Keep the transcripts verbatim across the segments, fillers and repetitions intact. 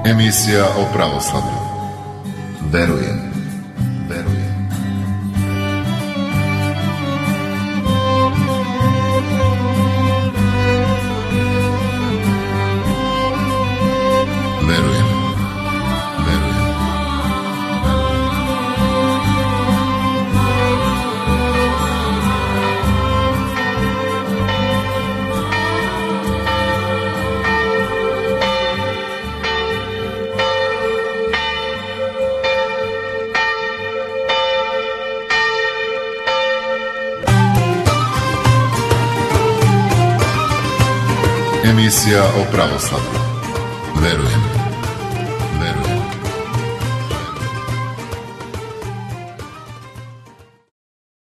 Emisija o pravoslavlju. Verujem, verujem. Verujem, verujem. Emisija o pravoslavlju. Verujem, verujem.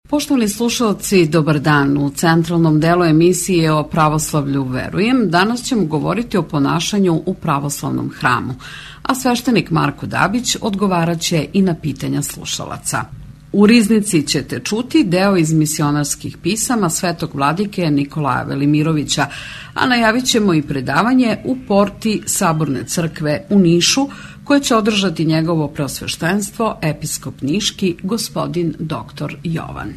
Poštovani slušalci, dobar dan. U centralnom delu emisije o pravoslavlju Verujem danas ćemo govoriti o ponašanju u pravoslavnom hramu, a sveštenik Marko Dabić odgovaraće i na pitanja slušalaca. U riznici ćete čuti deo iz misionarskih pisama svetog vladike Nikolaja Velimirovića, a najavit ćemo i predavanje u porti Saborne crkve u Nišu, koje će održati njegovo preosveštenstvo, episkop niški, gospodin doktor Jovan.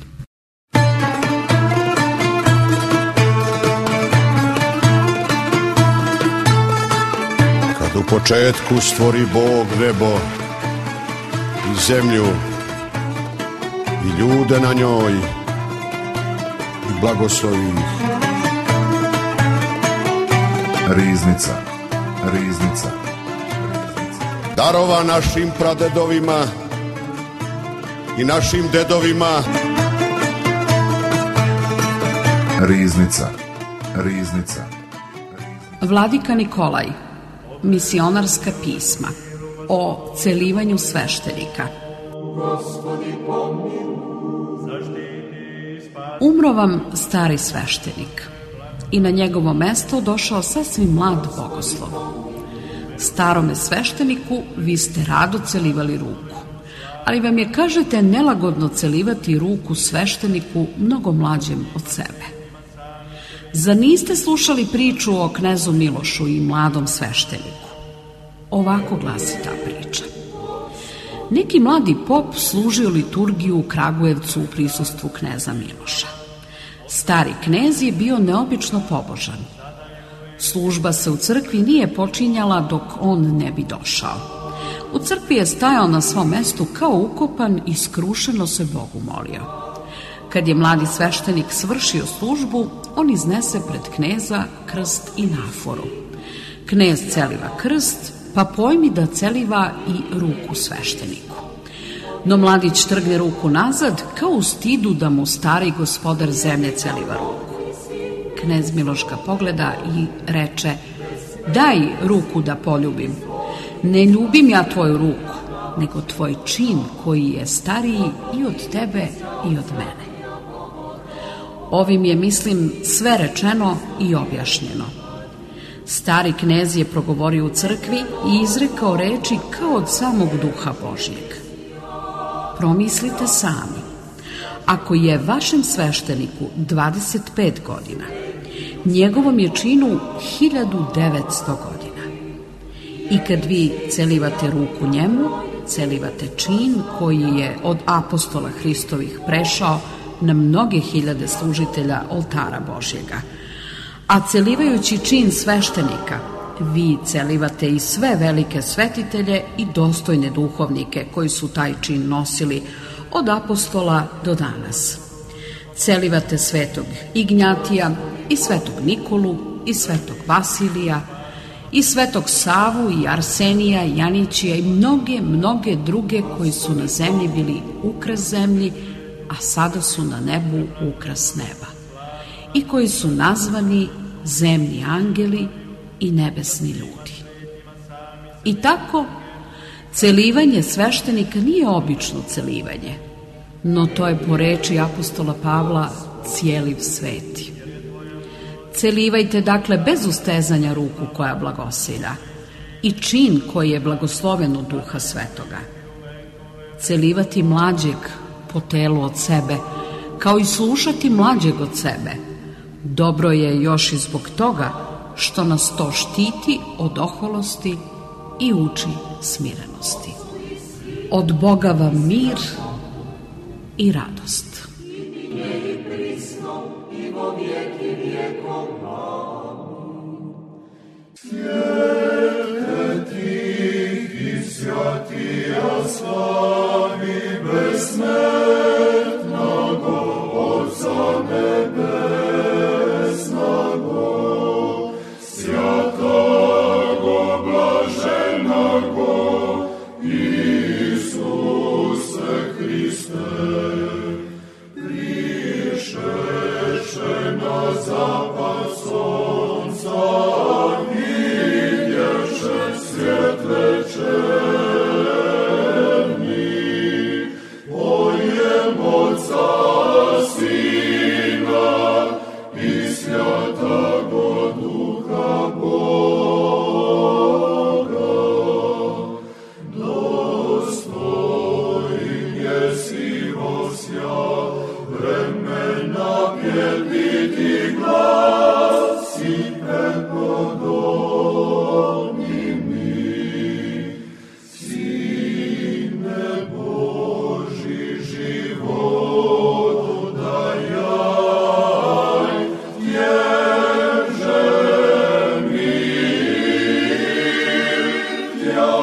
Kad u početku stvori Bog nebo i zemlju i ljude na njoj i blagoslovi ih. Riznica, riznica. Darova našim pradedovima i našim dedovima. Riznica, riznica. Vladika Nikolaj, misionarska pisma o celivanju sveštenika. Umro vam stari sveštenik i na njegovo mesto došao sasvim mlad bogoslov. Starome svešteniku vi ste rado celivali ruku, ali vam je, kažete, nelagodno celivati ruku svešteniku mnogo mlađem od sebe. Zar niste slušali priču o knezu Milošu i mladom svešteniku? Ovako glasi ta priča. Neki mladi pop služio liturgiju u Kragujevcu u prisustvu kneza Miloša. Stari knez je bio neobično pobožan. Služba se u crkvi nije počinjala dok on ne bi došao. U crkvi je stajao na svom mestu kao ukopan i skrušeno se Bogu molio. Kad je mladi sveštenik svršio službu, on iznese pred kneza krst i naforu. Knez celiva krst, pa pojmi da celiva i ruku svešteniku. No mladić trgne ruku nazad, kao u stidu da mu stari gospodar zemlje celiva ruku. Knez Miloš ga pogleda i reče: daj ruku da poljubim. Ne ljubim ja tvoju ruku, nego tvoj čin koji je stariji i od tebe i od mene. Ovim je, mislim, sve rečeno i objašnjeno. Stari knez je progovorio u crkvi i izrekao reči kao od samog duha Božjeg. Promislite sami, ako je vašem svešteniku dvadeset pet godina, njegovom je činu hiljadu devetsto godina. I kad vi celivate ruku njemu, celivate čin koji je od apostola Hristovih prešao na mnoge hiljade služitelja oltara Božjega. A celivajući čin sveštenika, vi celivate i sve velike svetitelje i dostojne duhovnike koji su taj čin nosili od apostola do danas. Celivate svetog Ignjatija i svetog Nikolu i svetog Vasilija i svetog Savu i Arsenija i Janićija i mnoge, mnoge druge koji su na zemlji bili ukras zemlji, a sada su na nebu ukras neba, i koji su nazvani zemni angeli i nebesni ljudi. I tako, celivanje sveštenika nije obično celivanje, no to je po reči apostola Pavla cijeliv sveti. Celivajte dakle bez ustezanja ruku koja blagosilja i čin koji je blagosloven od Duha Svetoga. Celivati mlađeg po telu od sebe, kao i slušati mlađeg od sebe, dobro je još i zbog toga što nas to štiti od oholosti i uči smirenosti. Od Boga vam mir i radost. Svijete tih i svjatija slavi besmrtnago Otca nebesnago, svjatago blaženago Isuse Hriste, prišeše na zapad sonca, vidješe svijet večerni, pojem Otca Sina i Svjatago Duha Boga. Dostojn jesi osja vremena pjeliti glas i prepodobni mi, Sine Boži životu dajaj, tježe mi tja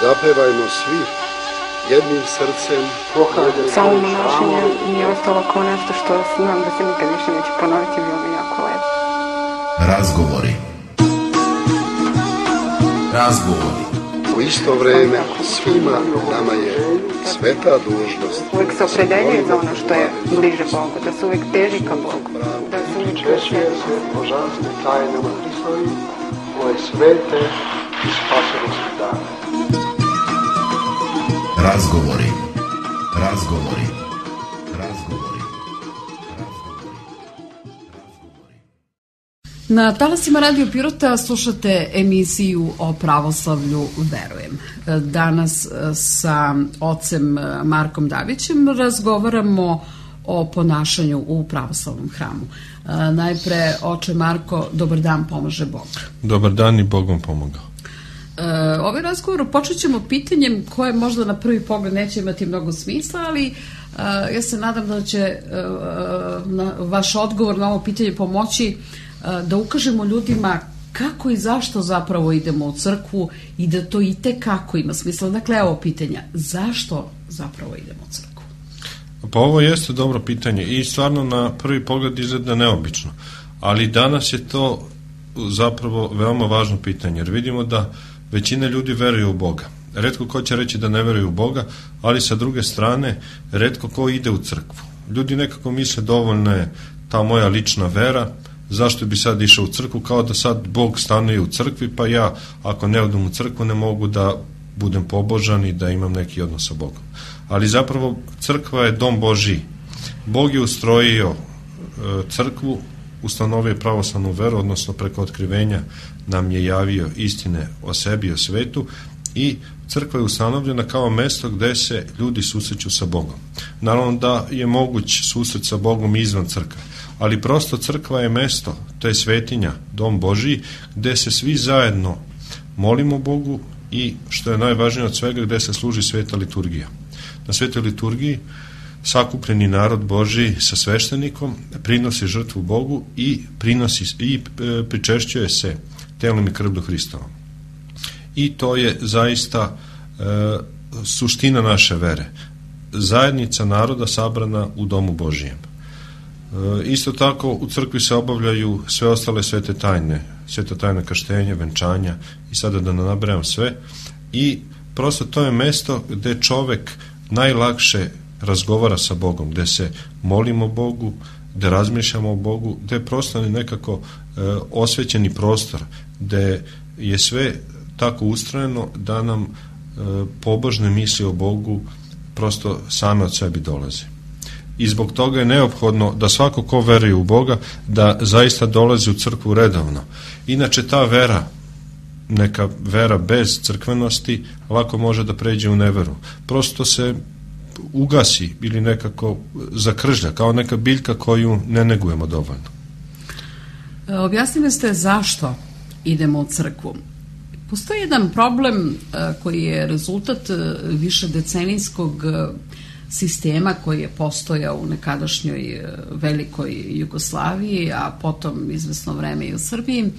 Zapevajmo svi jednim srcem. Samo monašenje mi je ostalo kao nešto što znam da se nikad više neće ponoviti, bilo mi jako lepo. Razgovori. Razgovori. U isto vreme svima nama je sveta dužnost. Uvijek se opredeljuje za ono što je bliže Bogu, da se uvijek teži ka Bogu, da se uvijek Češuje se božanstvene tajnama Hristovi, ove svete i spasonosne dane. Razgovori. Razgovori. Razgovori. Razgovori. Na talasima Radio Pirota slušate emisiju o pravoslavlju Verujem. Danas sa ocem Markom Davićem razgovaramo o ponašanju u pravoslavnom hramu. Najpre, oče Marko, dobar dan, pomaže Bog. Dobar dan i Bog vam pomogao. Ovaj razgovor počet ćemo pitanjem koje možda na prvi pogled neće imati mnogo smisla, ali ja se nadam da će vaš odgovor na ovo pitanje pomoći da ukažemo ljudima kako i zašto zapravo idemo u crkvu i da to i tekako ima smisla. Dakle, evo pitanja, zašto zapravo idemo u crkvu? Pa ovo jeste dobro pitanje i stvarno na prvi pogled izgleda neobično, ali danas je to zapravo veoma važno pitanje, jer vidimo da većina ljudi veruje u Boga. Retko ko će reći da ne veruje u Boga, ali sa druge strane, retko ko ide u crkvu. Ljudi nekako misle dovoljno je ta moja lična vera, zašto bi sad išao u crkvu, kao da sad Bog stanuje u crkvi, pa ja ako ne odem u crkvu ne mogu da budem pobožan i da imam neki odnos sa Bogom. Ali zapravo crkva je dom Božji. Bog je ustrojio e, crkvu, ustanovio pravoslavnu veru, odnosno preko otkrivenja nam je javio istine o sebi i o svetu, i crkva je ustanovljena kao mesto gde se ljudi susreću sa Bogom. Naravno da je moguć susret sa Bogom izvan crkve, ali prosto crkva je mesto, to je svetinja, dom Božji, gde se svi zajedno molimo Bogu i, što je najvažnije od svega, gde se služi sveta liturgija. Na svetoj liturgiji sakupljeni narod Božji sa sveštenikom prinosi žrtvu Bogu i prinosi i pričešćuje se telom i krvlju Hristovom. I to je zaista e, suština naše vere. Zajednica naroda sabrana u domu Božijem. E, isto tako u crkvi se obavljaju sve ostale svete tajne, sveta tajna krštenja, venčanja i sada da ne nabrajam sve. I prosto to je mesto gde čovek najlakše razgovara sa Bogom, gde se molimo Bogu, gde razmišljamo o Bogu, gde je prosto nekako e, osvećeni prostor, gde je sve tako ustrojeno da nam e, pobožne misli o Bogu prosto same od sebi dolaze. I zbog toga je neophodno da svako ko veruje u Boga da zaista dolazi u crkvu redovno. Inače ta vera neka vera bez crkvenosti lako može da pređe u neveru. Prosto se ugasi ili nekako zakržlja, kao neka biljka koju ne negujemo dovoljno. Objasnili ste zašto idemo u crkvu. Postoji jedan problem koji je rezultat višedecenijskog sistema koji je postojao u nekadašnjoj velikoj Jugoslaviji, a potom izvesno vreme i u Srbiji,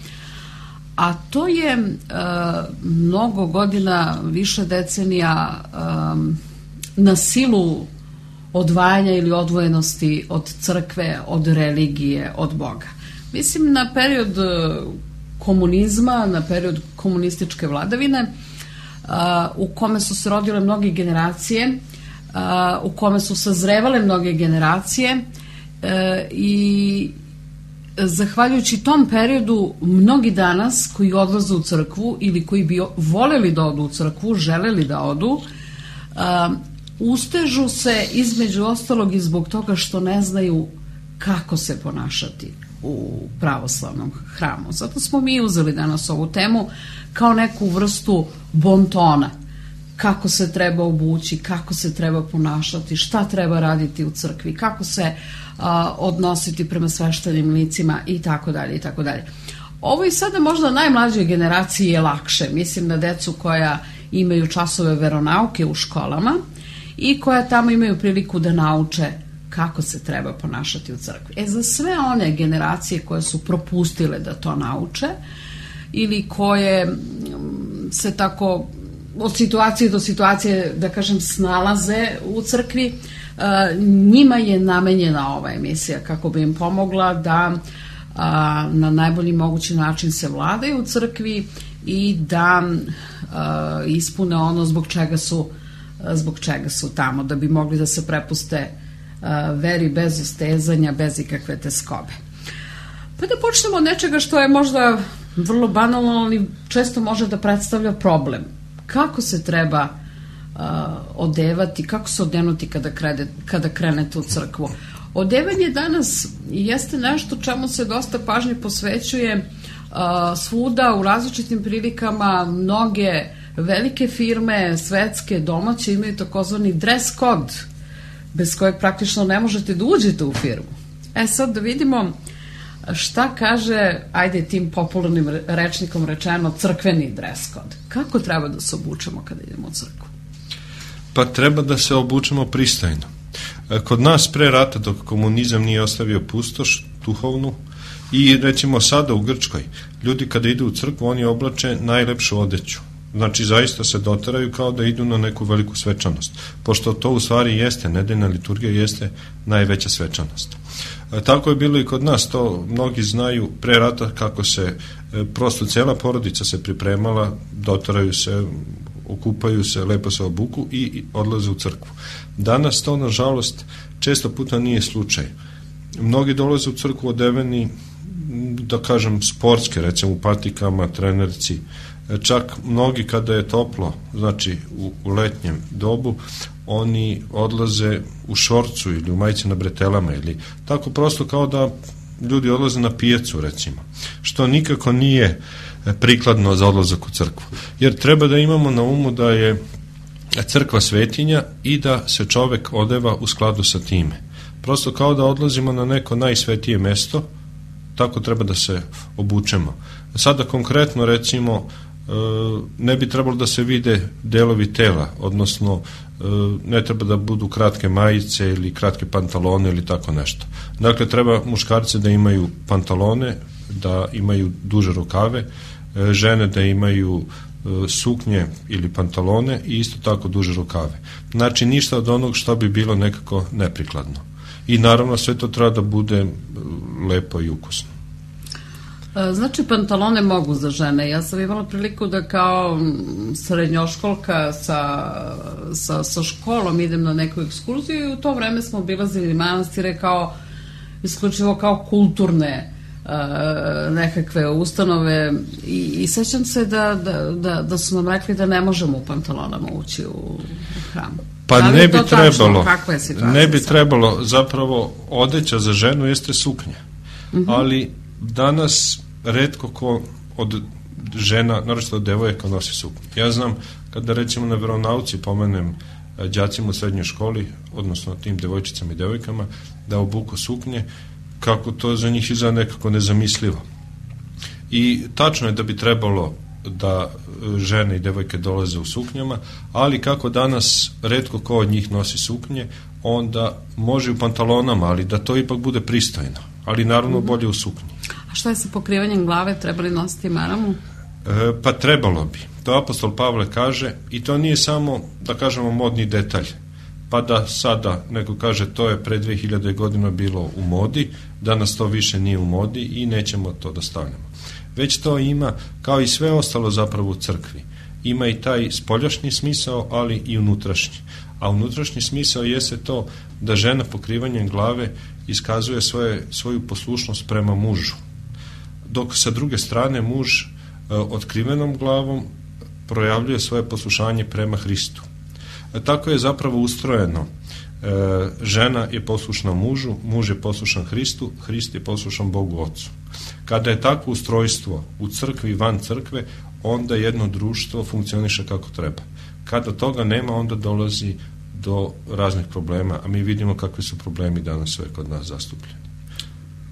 a to je mnogo godina, više decenija na silu odvajanja ili odvojenosti od crkve, od religije, od Boga. Mislim na period komunizma, na period komunističke vladavine, u kome su se rodile mnoge generacije, u kome su sazrevale mnoge generacije i zahvaljujući tom periodu mnogi danas koji odlaze u crkvu ili koji bi voljeli da odu u crkvu, želeli da odu, ustežu se između ostalog i zbog toga što ne znaju kako se ponašati u pravoslavnom hramu. Zato smo mi uzeli danas ovu temu kao neku vrstu bontona. Kako se treba obući, kako se treba ponašati, šta treba raditi u crkvi, kako se a, odnositi prema sveštenim licima i tako dalje i tako dalje. Ovo i sada možda najmlađoj generaciji je lakše. Mislim na decu koja imaju časove veronauke u školama i koja tamo imaju priliku da nauče kako se treba ponašati u crkvi. E, za sve one generacije koje su propustile da to nauče ili koje se tako od situacije do situacije, da kažem, snalaze u crkvi, njima je namenjena ova emisija kako bi im pomogla da na najbolji mogući način se vladaju u crkvi i da ispune ono zbog čega su zbog čega su tamo, da bi mogli da se prepuste veri bez ustezanja, bez ikakve teskobe. Pa da počnemo od nečega što je možda vrlo banalno, ali često može da predstavlja problem. Kako se treba uh, odevati, kako se odenuti kada, krede, kada krenete u crkvu? Odevanje danas jeste nešto čemu se dosta pažnje posvećuje uh, svuda, u različitim prilikama. Mnoge velike firme, svetske, domaće, imaju takozvani dress code, bez kojeg praktično ne možete da uđete u firmu. E sad da vidimo šta kaže, ajde tim popularnim rečnikom rečeno, crkveni dress code. Kako treba da se obučemo kada idemo u crkvu? Pa treba da se obučemo pristojno. Kod nas pre rata, dok komunizam nije ostavio pustoš duhovnu, i recimo sada u Grčkoj, ljudi kada idu u crkvu, oni oblače najlepšu odeću. Znači, zaista se doteraju kao da idu na neku veliku svečanost. Pošto to u stvari jeste, nedeljna liturgija jeste najveća svečanost. E, tako je bilo i kod nas, to mnogi znaju pre rata kako se, e, prosto cijela porodica se pripremala, doteraju se, okupaju se, lepo se obuku i, i odlaze u crkvu. Danas to, nažalost, često puta nije slučaj. Mnogi dolaze u crkvu odeveni, da kažem, sportske, recimo u patikama, trenerci, čak mnogi kada je toplo, znači u, u letnjem dobu, oni odlaze u šorcu ili u majici na bretelama ili tako prosto kao da ljudi odlaze na pijacu, recimo, što nikako nije prikladno za odlazak u crkvu. Jer treba da imamo na umu da je crkva svetinja i da se čovek odeva u skladu sa time. Prosto kao da odlazimo na neko najsvetije mesto, tako treba da se obučemo. Sada konkretno, recimo, ne bi trebalo da se vide delovi tela, odnosno ne treba da budu kratke majice ili kratke pantalone ili tako nešto. Dakle, treba muškarce da imaju pantalone, da imaju duže rukave, žene da imaju suknje ili pantalone i isto tako duže rukave. Znači, ništa od onog što bi bilo nekako neprikladno. I naravno, sve to treba da bude lepo i ukusno. Znači, pantalone mogu za žene. Ja sam imala priliku da kao srednjoškolka sa, sa, sa školom idem na neku ekskurziju i u to vreme smo obilazili manastire kao isključivo kao kulturne uh, nekakve ustanove i, i sećam se da, da, da, da su nam rekli da ne možemo u pantalonama ući u hram. Pa da ne bi trebalo, ne bi sad? trebalo, zapravo odeća za ženu jeste suknja, uh-huh. ali danas retko ko od žena, naročito devojka, nosi suknju. Ja znam, kada recimo na veronauci pomenem đacima u srednjoj školi, odnosno tim devojčicama i devojkama, da obuku suknje, kako to za njih izgleda nekako nezamislivo. I tačno je da bi trebalo da žene i devojke dolaze u suknjama, ali kako danas retko ko od njih nosi suknje, onda može u pantalonama, ali da to ipak bude pristojno, ali naravno bolje u suknji. A šta je sa pokrivanjem glave, trebali nositi maramu? E, pa trebalo bi. To apostol Pavle kaže, i to nije samo, da kažemo, modni detalj, pa da sada neko kaže to je pre dve hiljade godina bilo u modi, danas to više nije u modi i nećemo to da stavljamo. Već to ima, kao i sve ostalo zapravo u crkvi, ima i taj spoljašnji smisao, ali i unutrašnji. A unutrašnji smisao jeste to da žena pokrivanjem glave iskazuje svoje, svoju poslušnost prema mužu, dok sa druge strane muž e, otkrivenom glavom projavljuje svoje poslušanje prema Hristu. E, tako je zapravo ustrojeno. E, žena je poslušna mužu, muž je poslušan Hristu, Hrist je poslušan Bogu Ocu. Kada je takvo ustrojstvo u crkvi i van crkve, onda jedno društvo funkcioniše kako treba. Kada toga nema, onda dolazi do raznih problema, a mi vidimo kakvi su problemi danas sve kod nas zastupljeni.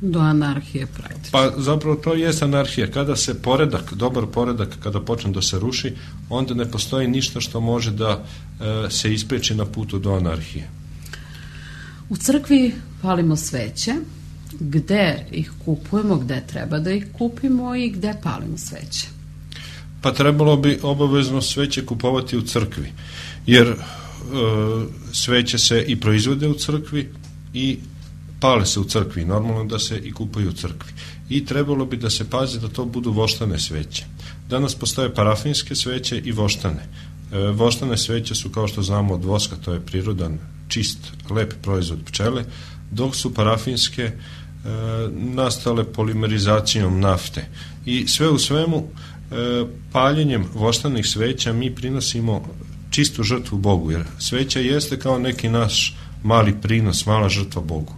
Do anarhije praktično. Pa zapravo to je anarhija. Kada se poredak, dobar poredak, kada počne da se ruši, onda ne postoji ništa što može da e, se ispreči na putu do anarhije. U crkvi palimo sveće, gde ih kupujemo, gde treba da ih kupimo i gde palimo sveće? Pa trebalo bi obavezno sveće kupovati u crkvi, jer e, sveće se i proizvode u crkvi i pale se u crkvi, normalno da se i kupuju u crkvi. I trebalo bi da se pazi da to budu voštane sveće. Danas postoje parafinske sveće i voštane. E, voštane sveće su, kao što znamo, od voska, to je prirodan, čist, lep proizvod pčele, dok su parafinske e, nastale polimerizacijom nafte. I sve u svemu, e, paljenjem voštanih sveća mi prinosimo čistu žrtvu Bogu, jer sveća jeste kao neki naš mali prinos, mala žrtva Bogu.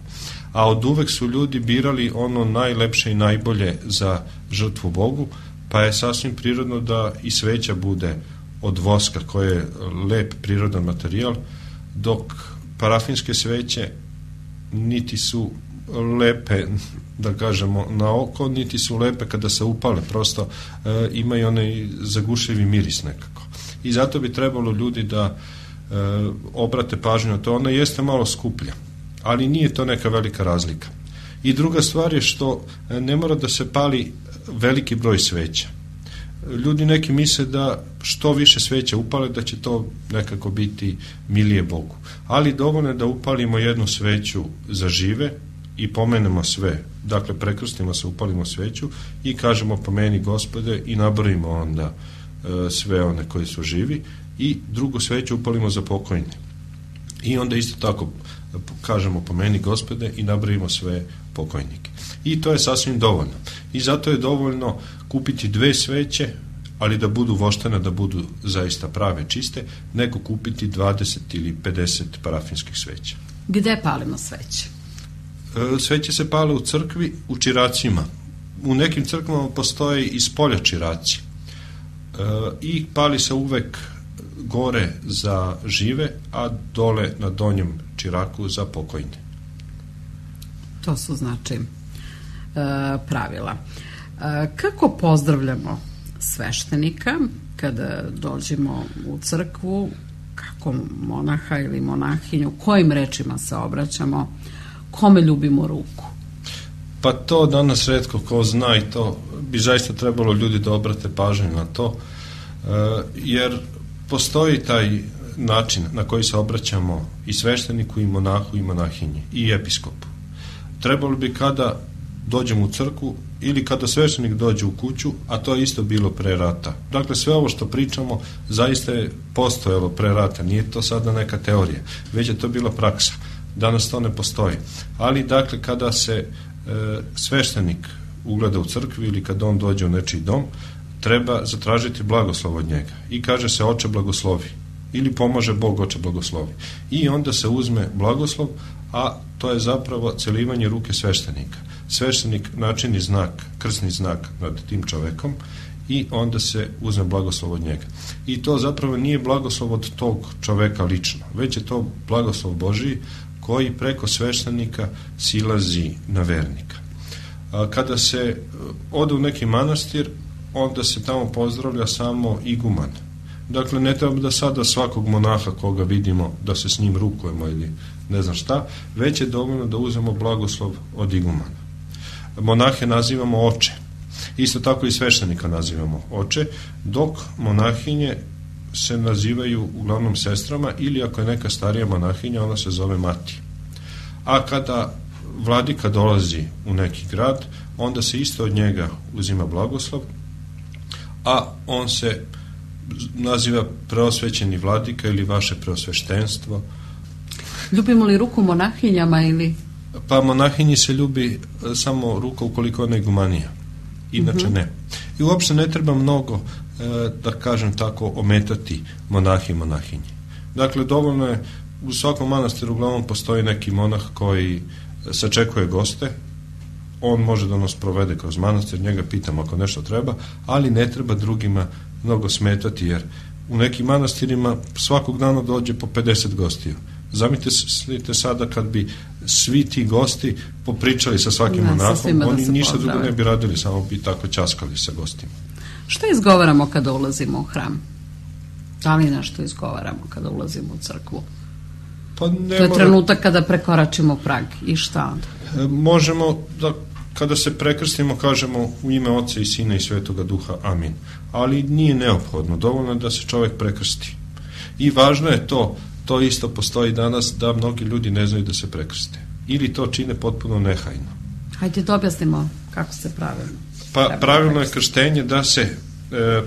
A od uvek su ljudi birali ono najlepše i najbolje za žrtvu Bogu, pa je sasvim prirodno da i sveća bude od voska, koje je lep prirodan materijal, dok parafinske sveće niti su lepe, da kažemo, na oko, niti su lepe kada se upale, prosto e, imaju onaj zagušljivi miris nekako. I zato bi trebalo ljudi da e, obrate pažnju na to. Ona jeste malo skuplja, ali nije to neka velika razlika. I druga stvar je što ne mora da se pali veliki broj sveća. Ljudi neki misle da što više sveća upale, da će to nekako biti milije Bogu. Ali dovoljno je da upalimo jednu sveću za žive i pomenemo sve. Dakle, prekrstimo se, upalimo sveću i kažemo pomeni Gospode i nabrojimo onda e, sve one koji su živi i drugu sveću upalimo za pokojne. I onda isto tako kažemo pomeni Gospode i nabrojimo sve pokojnike. I to je sasvim dovoljno. I zato je dovoljno kupiti dve sveće, ali da budu voštene, da budu zaista prave, čiste, nego kupiti dvadeset ili pedeset parafinskih sveća. Gde palimo sveće? E, sveće se pale u crkvi, u čiracima. U nekim crkvama postoje i spolja čiraci. E, I pali se uvek gore za žive, a dole na donjem čiraku za pokojne. To su znači e, pravila. E, kako pozdravljamo sveštenika kada dođemo u crkvu, kako monaha ili monahinju, kojim rečima se obraćamo, kome ljubimo ruku? Pa to danas retko ko zna i to bi zaista trebalo ljudi da obrate pažnju na to, e, jer postoji taj način na koji se obraćamo i svešteniku i monahu i monahinji i episkopu. Trebalo bi kada dođemo u crkvu ili kada sveštenik dođe u kuću, a to je isto bilo pre rata. Dakle, sve ovo što pričamo zaista je postojalo pre rata, nije to sada neka teorija, već je to bila praksa. Danas to ne postoji. Ali, dakle, kada se e, sveštenik ugleda u crkvi ili kada on dođe u nečiji dom, treba zatražiti blagoslov od njega. I kaže se oče blagoslovi. Ili pomaže Bog oče blagoslovi. I onda se uzme blagoslov, a to je zapravo celivanje ruke sveštenika. Sveštenik načini znak, krsni znak nad tim čovekom i onda se uzme blagoslov od njega. I to zapravo nije blagoslov od tog čoveka lično, već je to blagoslov Božiji koji preko sveštenika silazi na vernika. Kada se ode u neki manastir, onda se tamo pozdravlja samo iguman. Dakle, ne treba da sada svakog monaha koga vidimo da se s njim rukujemo ili ne znam šta, već je dovoljno da uzmemo blagoslov od igumana. Monahe nazivamo oče. Isto tako i sveštenika nazivamo oče, dok monahinje se nazivaju uglavnom sestrama ili ako je neka starija monahinja, ona se zove mati. A kada vladika dolazi u neki grad, onda se isto od njega uzima blagoslov, a on se naziva preosvećeni vladika ili vaše preosveštenstvo. Ljubimo li ruku monahinjama ili? Pa monahinji se ljubi samo ruka ukoliko ona je igumanija. Inače ne. I uopšte ne treba mnogo, da kažem tako, ometati monahi i monahinje. Dakle, dovoljno je, u svakom manastiru uglavnom postoji neki monah koji sačekuje goste, on može da nas provede kroz manastir, njega pitamo ako nešto treba, ali ne treba drugima mnogo smetati, jer u nekim manastirima svakog dana dođe po pedeset gostiju. Zamislite sada kad bi svi ti gosti popričali sa svakim monahom, da oni ništa drugo ne bi radili, samo bi tako ćaskali sa gostima. Šta izgovaramo kada ulazimo u hram? Da li nešto izgovaramo kada ulazimo u crkvu? Pa ne to je mora... trenutak kada prekoračimo prag. I šta onda? E, možemo da kada se prekrstimo kažemo u ime Oca i Sina i Svetoga Duha, amin. Ali nije neophodno, dovoljno da se čovjek prekrsti. I važno je to, to isto postoji danas, da mnogi ljudi ne znaju da se prekrste. Ili to čine potpuno nehajno. Hajde da objasnimo kako se pravilno. Pa pravilno je krštenje da se e,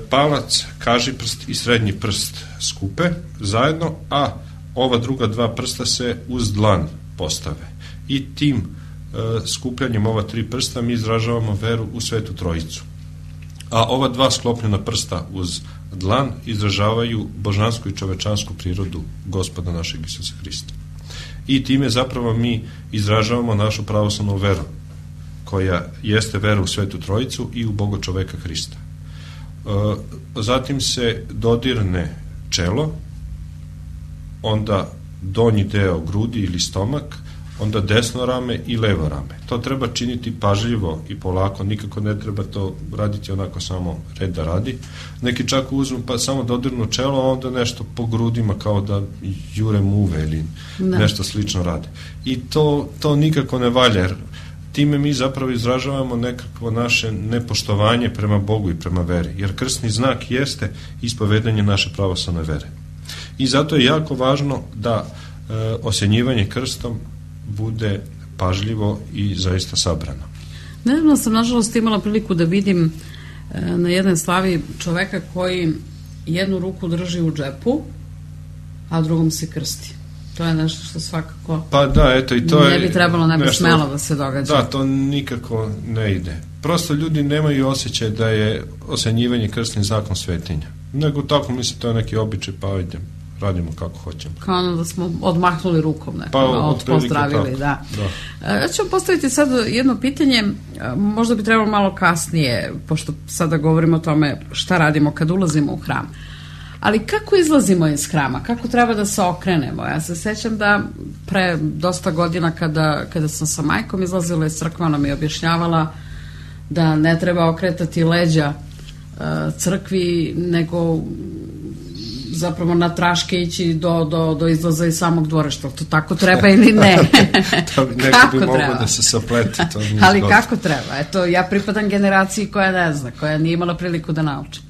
palac, kažiprst i srednji prst skupe zajedno, a ova druga dva prsta se uz dlan postave. I tim e, skupljanjem ova tri prsta mi izražavamo veru u Svetu Trojicu. A ova dva sklopljena prsta uz dlan izražavaju božansku i čovečansku prirodu Gospoda našeg Isusa Hrista. I time zapravo mi izražavamo našu pravoslavnu veru, koja jeste vera u Svetu Trojicu i u Boga čoveka Hrista. E, zatim se dodirne čelo, onda donji deo grudi ili stomak, onda desno rame i levo rame. To treba činiti pažljivo i polako, nikako ne treba to raditi onako samo red da radi. Neki čak uzmu pa samo dodirnu čelo, a onda nešto po grudima kao da jure muve ili ne. Nešto slično rade. I to, to nikako ne valja, jer time mi zapravo izražavamo nekakvo naše nepoštovanje prema Bogu i prema veri, jer krstni znak jeste ispovedanje naše pravoslavne vere. I zato je jako važno da e, osjenjivanje krstom bude pažljivo i zaista sabrano. Nedavno sam nažalost imala priliku da vidim e, na jednoj slavi čoveka koji jednu ruku drži u džepu, a drugom se krsti. To je nešto što svakako pa da, eto, i to ne bi trebalo, ne bi nešto, smelo da se događa. Da, to nikako ne ide. Prosto ljudi nemaju osjećaj da je osjenjivanje krstnim znakom svetinja. Nego tako misle, to je neki običaj, pa ajde, radimo kako hoćemo. Kao ono da smo odmahnuli rukom nekako, pa, od pozdravili, da. da. Ja ću vam postaviti sad jedno pitanje, možda bi trebalo malo kasnije, pošto sada govorimo o tome šta radimo kad ulazimo u hram. Ali kako izlazimo iz hrama? Kako treba da se okrenemo? Ja se sećam da pre dosta godina kada, kada sam sa majkom izlazila iz crkve, ona mi je objašnjavala da ne treba okretati leđa uh, crkvi, nego zapravo na traške ići do, do, do izlaza iz samog dvorišta. To tako treba ili ne? To bi neko bi moglo da se sapleti. To ali zgodno. Kako treba? Eto, ja pripadam generaciji koja ne zna, koja nije imala priliku da nauči.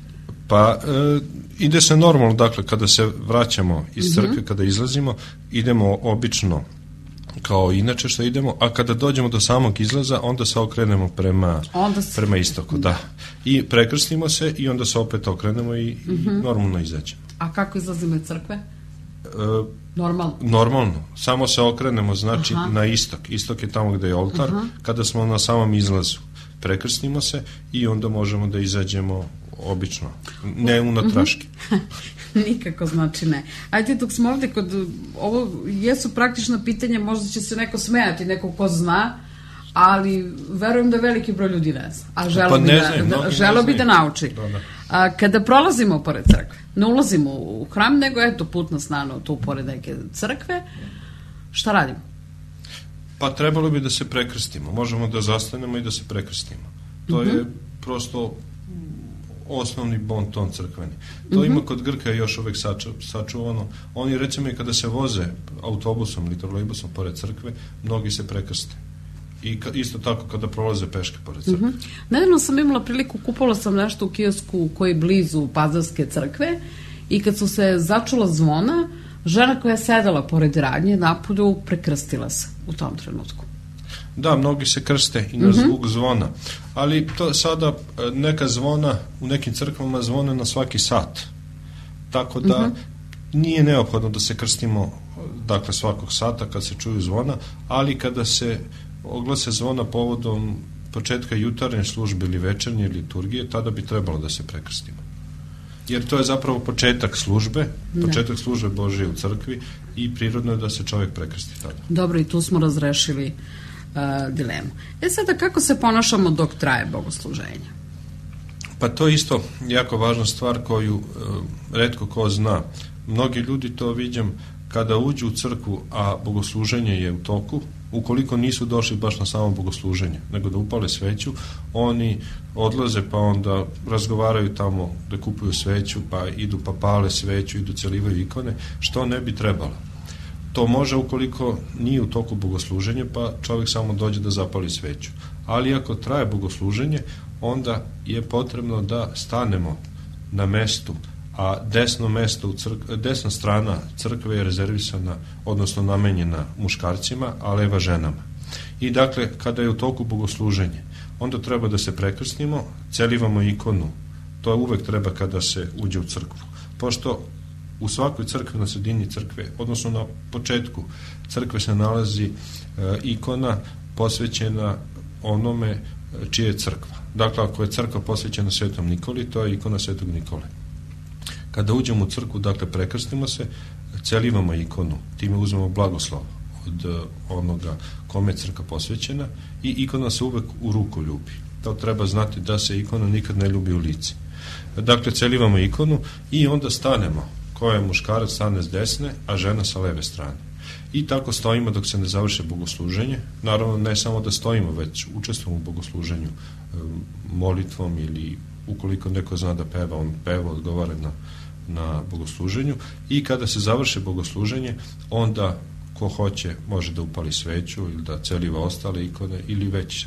Pa, e, ide se normalno, dakle, kada se vraćamo iz crkve, mm-hmm. kada izlazimo, idemo obično kao inače što idemo, a kada dođemo do samog izlaza, onda se okrenemo prema, se... prema istoku, da. I prekrstimo se i onda se opet okrenemo i, mm-hmm. i normalno izađemo. A kako izlazimo iz crkve? E, normalno? Normalno. Samo se okrenemo, znači, aha. na istok. Istok je tamo gde je oltar. Aha. Kada smo na samom izlazu, prekrstimo se i onda možemo da izađemo obično, ne unatraški. Nikako znači ne. Ajde, dok smo ovde kod, ovo jesu praktično pitanje, možda će se neko smejati, neko ko zna, ali verujem da veliki broj ljudi ne zna, a želo Pa bi ne da, znam, da, mnogi želo ne bi da znaju. nauči. Da, da. A, kada prolazimo pored crkve, ne ulazimo u hram, nego eto put nas nano tu pored neke crkve, šta radimo? Pa trebalo bi da se prekrstimo. Možemo da zastanemo i da se prekrstimo. To Mhm. je prosto osnovni bon ton crkveni. To Mhm. ima kod Grka još uvek saču, sačuvano. Oni recimo i kada se voze autobusom ili trolejbusom pored crkve, mnogi se prekrste. I ka, isto tako kada prolaze peške pored crkve. Mhm. Nedavno sam imala priliku, kupovala sam nešto u kiosku koji je blizu Pazarske crkve i kad su se začula zvona, žena koja je sedala pored radnje napolju prekrstila se u tom trenutku. Da, mnogi se krste i na zvuk zvona, ali to sada e, neka zvona u nekim crkvama zvone na svaki sat, tako da nije neophodno da se krstimo dakle svakog sata kad se čuju zvona, ali kada se oglase zvona povodom početka jutarnje službe ili večernje liturgije, tada bi trebalo da se prekrstimo. Jer to je zapravo početak službe, početak službe Božije u crkvi i prirodno je da se čovjek prekrsti tada. Dobro, i tu smo razrešili uh, dilemu. E sada, kako se ponašamo dok traje bogosluženje? Pa to je isto jako važna stvar koju e, retko ko zna. Mnogi ljudi to viđam kada uđu u crkvu, a bogosluženje je u toku, ukoliko nisu došli baš na samo bogosluženje, nego da upale sveću, oni odlaze pa onda razgovaraju tamo da kupuju sveću, pa idu pa pale sveću, idu celivaju ikone, što ne bi trebalo. To može ukoliko nije u toku bogosluženja, pa čovjek samo dođe da zapali sveću. Ali ako traje bogosluženje, onda je potrebno da stanemo na mestu, a desno mesto u crk- desna strana crkve je rezervisana, odnosno namenjena muškarcima, a leva ženama. I dakle, kada je u toku bogosluženje, onda treba da se prekrstimo, celivamo ikonu. To uvek treba kada se uđe u crkvu. Pošto u svakoj crkvi, na sredini crkve, odnosno na početku crkve se nalazi e, ikona posvećena onome čije je crkva. Dakle, ako je crkva posvećena Svetom Nikoli, to je ikona Svetog Nikole. Kada uđemo u crkvu, dakle, prekrstimo se, celivamo ikonu, time uzmemo blagoslov od uh, onoga kome je crkva posvećena i ikona se uvek u ruku ljubi. To treba znati da se ikona nikad ne ljubi u lice. Dakle, celivamo ikonu i onda stanemo. Ko je muškarac stane s desne, a žena sa leve strane. I tako stojimo dok se ne završe bogosluženje. Naravno, ne samo da stojimo, već učestvujemo u bogosluženju molitvom ili ukoliko neko zna da peva, on peva, odgovara na, na bogosluženju. I kada se završe bogosluženje, onda ko hoće može da upali sveću ili da celiva ostale ikone ili već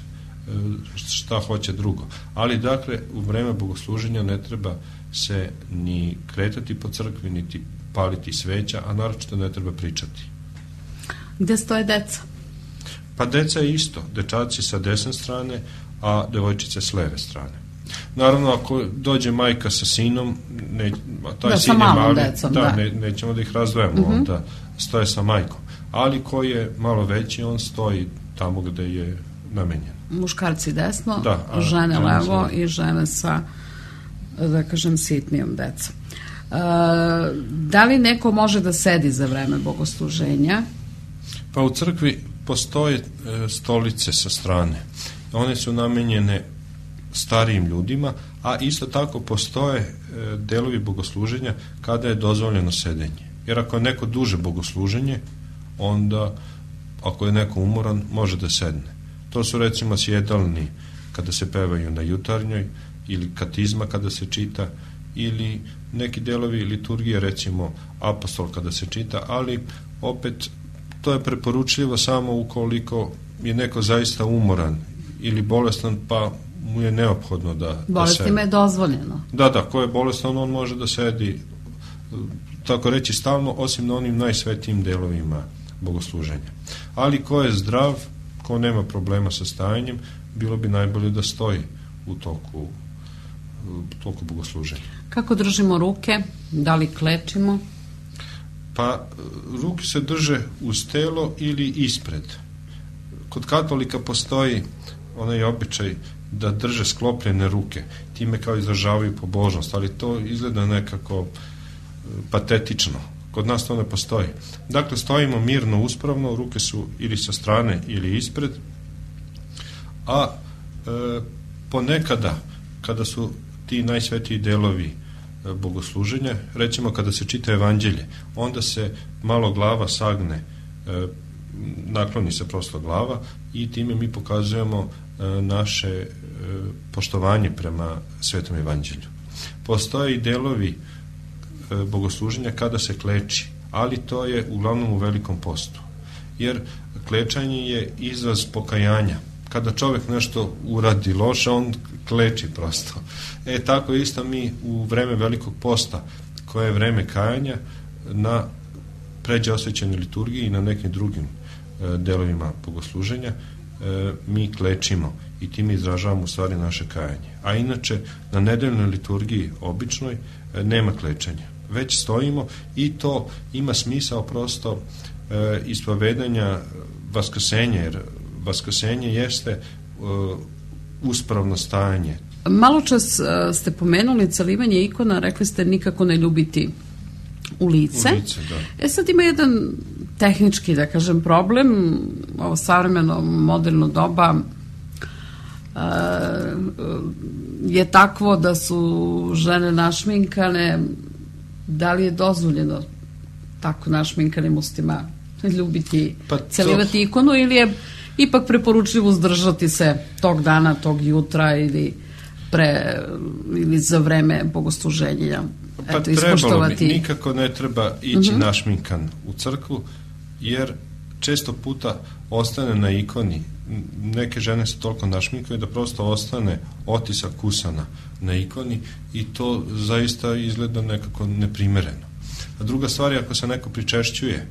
šta hoće drugo. Ali dakle, u vreme bogosluženja ne treba se ni kretati po crkvi, niti paliti sveća, a naročito ne treba pričati. Gde stoje deca? Pa deca je isto, dečaci sa desne strane, a devojčice s leve strane. Naravno, ako dođe majka sa sinom, ne, taj da, sin je malom mali, decom, da, da. Ne, nećemo da ih razdvojamo, uh-huh. onda stoje sa majkom. Ali ko je malo veći, on stoji tamo gde je namenjen. Muškarci desno, da, a, žene a, levo a, i žene sa, da kažem, sitnijom decom. E, da li neko može da sedi za vreme bogosluženja? Pa u crkvi postoje e, stolice sa strane. One su namenjene starijim ljudima, a isto tako postoje e, delovi bogosluženja kada je dozvoljeno sedenje. Jer ako je neko duže bogosluženje, onda ako je neko umoran, može da sedne. To su recimo sjedalni kada se pevaju na jutarnjoj ili katizma kada se čita ili neki delovi liturgije, recimo apostol kada se čita, ali opet to je preporučljivo samo ukoliko je neko zaista umoran ili bolestan, pa mu je neophodno da, bolestima da je dozvoljeno. Da, da, ko je bolestan, on može da sedi, tako reći, stalno, osim na onim najsvetijim delovima bogosluženja. Ali ko je zdrav, ko nema problema sa stajanjem, bilo bi najbolje da stoji u toku, u toku bogosluženja. Kako držimo ruke? Da li klečimo? Pa, ruke se drže uz telo ili ispred. Kod katolika postoji onaj običaj da drže sklopljene ruke, time kao izražavaju pobožnost, ali to izgleda nekako patetično. Kod nas to ne postoji. Dakle, stojimo mirno, uspravno, ruke su ili sa strane ili ispred a e, ponekada kada su ti najsvetiji delovi e, bogosluženja, recimo kada se čita evanđelje, onda se malo glava sagne, e, nakloni se prosto glava i time mi pokazujemo e, naše e, poštovanje prema svetom evanđelju. Postoje i delovi e, bogosluženja kada se kleči, ali to je uglavnom u velikom postu, jer klečanje je izraz pokajanja. Kada čovjek nešto uradi loše, on kleči prosto. E tako isto mi u vreme velikog posta, koje je vreme kajanja, na pređe osvećenoj liturgiji i na nekim drugim e, delovima bogosluženja, e, mi klečimo i time izražavamo u stvari naše kajanje. A inače, na nedeljnoj liturgiji običnoj e, nema klečanja. Već stojimo i to ima smisao prosto e, ispovedanja vaskrsenja, jer vaskrsenje jeste e, uspravno stajanje. Malo čas e, ste pomenuli celivanje ikona, rekli ste nikako ne ljubiti u lice. U lice, da. E sad ima jedan tehnički, da kažem, problem. Ovo savremeno moderno doba e, je takvo da su žene našminkane. Da li je dozvoljeno tako našminkanim ustima ljubiti, pa celivati ikonu, ili je ipak preporučljivo uzdržati se tog dana, tog jutra ili pre ili za vreme bogosluženja? Pa Eto, trebalo bi, nikako ne treba ići uh-huh. našminkan u crkvu, jer često puta ostane na ikoni, neke žene se toliko našminkaju da prosto ostane otisak kusana na ikoni i to zaista izgleda nekako neprimereno. A druga stvar je ako se neko pričešćuje,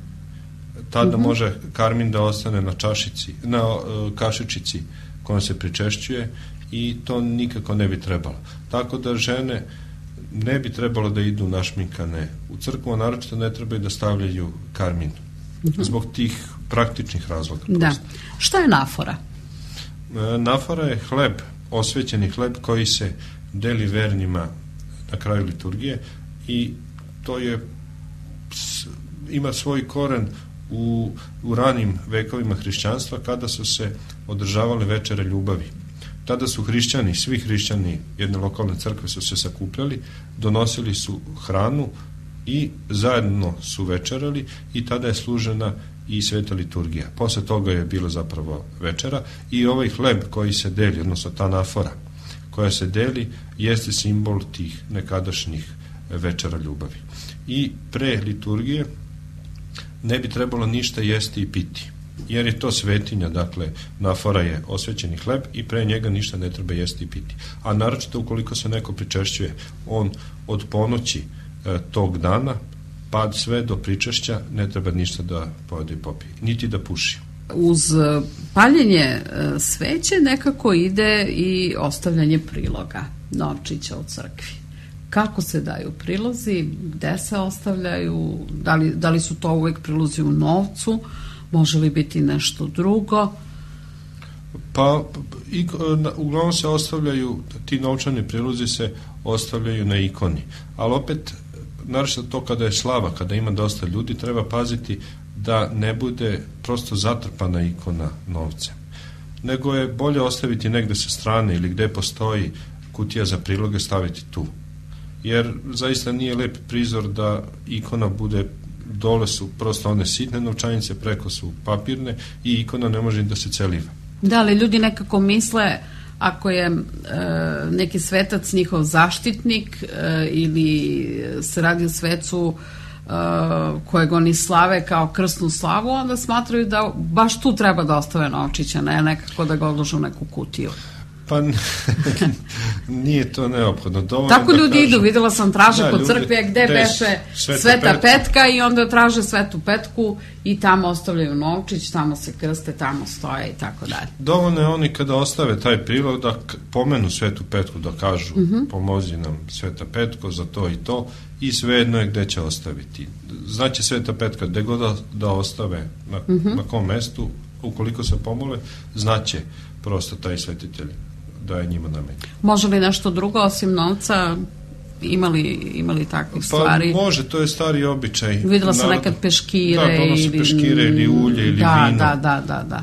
tada uh-huh. može karmin da ostane na čašici, na uh, kašičici kojom se pričešćuje i to nikako ne bi trebalo. Tako da žene ne bi trebalo da idu našminkane u crkvu, a naročito ne trebaju da stavljaju karmin. Uh-huh. Zbog tih praktičnih razloga. Da. Šta je nafora? E, nafora je hleb, osvećeni hleb koji se deli vernima na kraju liturgije i to je ima svoj koren u, u ranim vekovima hrišćanstva kada su se održavale večere ljubavi. Tada su hrišćani, svi hrišćani jedne lokalne crkve su se sakupljali, donosili su hranu i zajedno su večerali i tada je služena i sveta liturgija. Posle toga je bilo zapravo večera i ovaj hleb koji se deli, odnosno ta nafora koja se deli, jeste simbol tih nekadašnjih večera ljubavi. I pre liturgije ne bi trebalo ništa jesti i piti, jer je to svetinja, dakle nafora je osvećeni hleb i pre njega ništa ne treba jesti i piti. A naročito ukoliko se neko pričešćuje, on od ponoći e, tog dana pa sve do pričešća ne treba ništa da pojede i popije, niti da puši. Uz paljenje sveće nekako ide i ostavljanje priloga, novčića u crkvi. Kako se daju prilozi, gde se ostavljaju, da li, da li su to uvek prilozi u novcu, može li biti nešto drugo? Pa i, uglavnom se ostavljaju, ti novčani prilozi se ostavljaju na ikoni, ali opet naročito to kada je slava, kada ima dosta ljudi, treba paziti da ne bude prosto zatrpana ikona novcem, nego je bolje ostaviti negde sa strane ili gde postoji kutija za priloge, staviti tu, jer zaista nije lep prizor da ikona bude, dole su prosto one sitne novčanice, preko su papirne i ikona ne može da se celiva. Da, ali ljudi nekako misle ako je e, neki svetac njihov zaštitnik e, ili se radi o svecu e, kojeg oni slave kao krsnu slavu, onda smatraju da baš tu treba da ostave novčića, ne nekako da ga odložu u neku kutiju. Pa nije to neophodno. Dovoljno tako ljudi da kažu, idu, videla sam traže da, kod crkve gde beše sveta, sveta petka. petka i onda traže svetu petku i tamo ostavljaju novčić, tamo se krste, tamo stoje i tako dalje. Dovoljno je oni kada ostave taj prilog da pomenu svetu petku, da kažu uh-huh. pomozi nam sveta petko za to i to i svejedno je gde će ostaviti. Znači sveta petka gde god da, da ostave na, uh-huh. na kom mestu, ukoliko se pomole, znaće prosto taj svetitelj da je njima namenjen. Može li nešto drugo osim novca? imali, imali takvih pa, stvari? Pa može, to je stari običaj. Videla sam nekad peškire. Da, donose ili, peškire ili ulje ili da, vino. Da, da, da, da.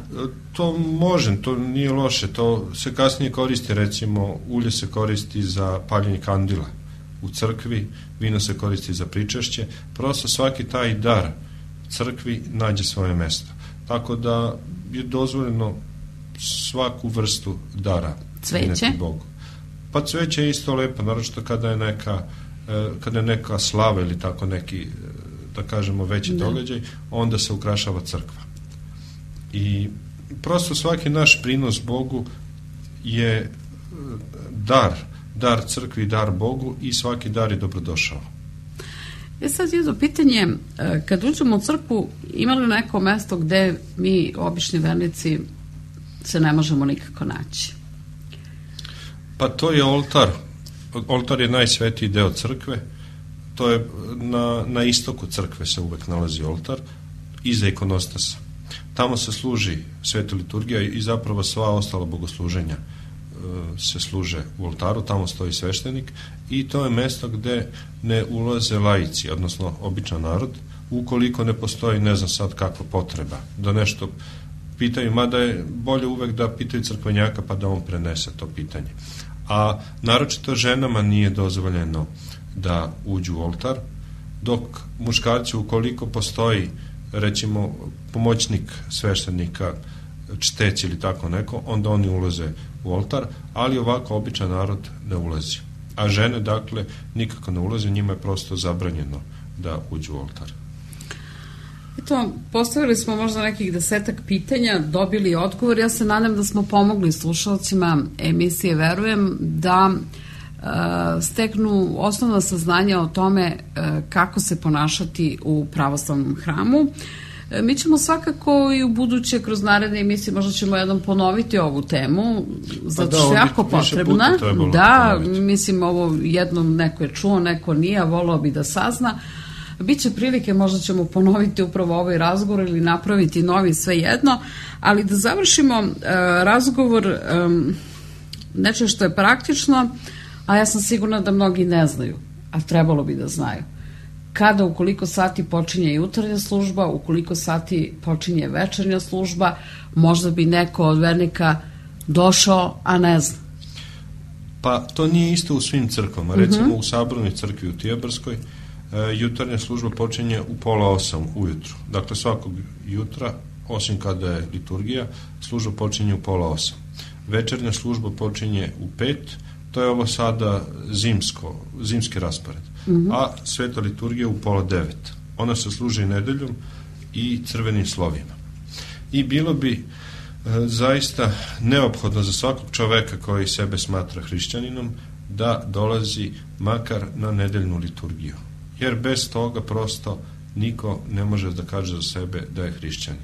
To može, to nije loše, to se kasnije koristi, recimo ulje se koristi za paljenje kandila u crkvi, vino se koristi za pričešće, prosto svaki taj dar crkvi nađe svoje mesto. Tako da je dozvoljeno svaku vrstu dara cveće? Bogu. Pa cveće je isto lepo, naročito kada je neka kada je neka slava ili tako neki, da kažemo, veći da. događaj, onda se ukrašava crkva. I prosto svaki naš prinos Bogu je dar, dar crkvi i dar Bogu i svaki dar je dobrodošao. E sad jedno pitanje, kad uđemo u crkvu, ima li neko mesto gde mi, obični vernici, se ne možemo nikako naći? Pa to je oltar. Oltar je najsvetiji deo crkve. To je na, na istoku crkve se uvek nalazi oltar, iza ikonostasa. Tamo se služi sveta liturgija i zapravo sva ostala bogosluženja se služe u oltaru, tamo stoji sveštenik i to je mesto gde ne ulaze laici, odnosno običan narod, ukoliko ne postoji, ne znam sad kakva potreba, da nešto pitaju, mada je bolje uvek da pitaju crkvenjaka pa da on prenese to pitanje. A naročito ženama nije dozvoljeno da uđu u oltar, dok muškarci, ukoliko postoji recimo pomoćnik sveštenika, čteć ili tako neko, onda oni ulaze u oltar, ali ovako običan narod ne ulazi. A žene, dakle, nikako ne ulaze, njima je prosto zabranjeno da uđu u oltar. Eto, postavili smo možda nekih desetak pitanja, dobili odgovor. Ja se nadam da smo pomogli slušalcima emisije Verujem da e, steknu osnovna saznanja o tome e, kako se ponašati u pravoslavnom hramu. E, mi ćemo svakako i u buduće kroz naredne emisije možda ćemo jednom ponoviti ovu temu, zato što je jako potrebna. Da, mislim, ovo jednom neko je čuo, neko nije, a volao bi da sazna. Biće prilike, možda ćemo ponoviti upravo ovaj razgovor ili napraviti novi, sve jedno, ali da završimo uh, razgovor um, nečeg što je praktično, a ja sam sigurna da mnogi ne znaju, a trebalo bi da znaju. Kada, ukoliko sati počinje jutarnja služba, ukoliko sati počinje večernja služba, možda bi neko od vernika došao, a ne zna. Pa to nije isto u svim crkvama. Recimo uh-huh. u Sabornoj crkvi u Tijebarskoj jutarnja služba počinje u pola osam ujutru. Dakle, svakog jutra, osim kada je liturgija, služba počinje u pola osam. Večernja služba počinje u pet, to je ovo sada zimsko, zimski raspored. Mm-hmm. A sveta liturgija u pola devet. Ona se služi nedeljom i crvenim slovima. I bilo bi e, zaista neophodno za svakog čoveka koji sebe smatra hrišćaninom da dolazi makar na nedeljnu liturgiju. Jer bez toga prosto niko ne može da kaže za sebe da je hrišćanin.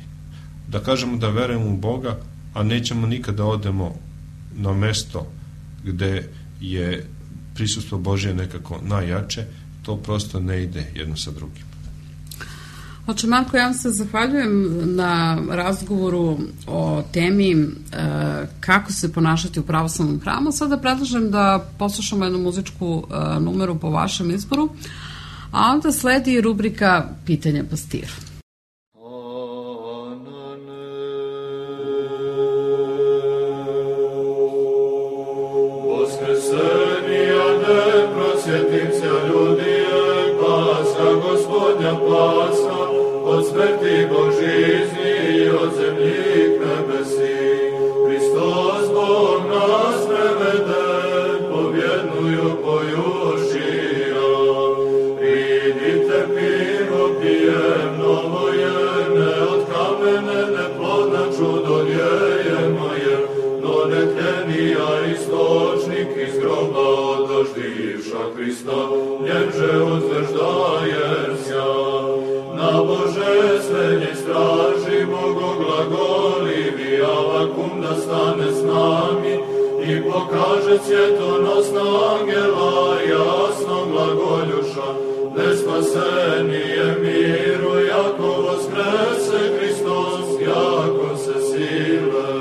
Da kažemo da verujemo u Boga, a nećemo nikada da odemo na mesto gde je prisustvo Božje nekako najjače, to prosto ne ide jedno sa drugim. Oče Marko, ja vam se zahvaljujem na razgovoru o temi e, kako se ponašati u pravoslavnom hramu. Sada predlažem da poslušamo jednu muzičku e, numeru po vašem izboru, a onda sledi rubrika Pitanja pastiru. Voskresenija neprosjetnica ljudije, pasa Gospodnja pasa, od smrti Božizni i od zemljih nebesi. Hristos Bog nas prevede, pobjednuju pojušija. Pridite pivo, pijem, novo je, ne od kamene, neplodna čudo djejemo je, no netljenija istočnik iz groba odoždivša Hrista, nježe uzveždajem sja. Na božestvenje straži bogoglagolivi, Avakum da stane s nami i pokaže svjetonosna angela jasno glagoljuša, nespasenije miru, jako voskrese Hristos, jako se sile.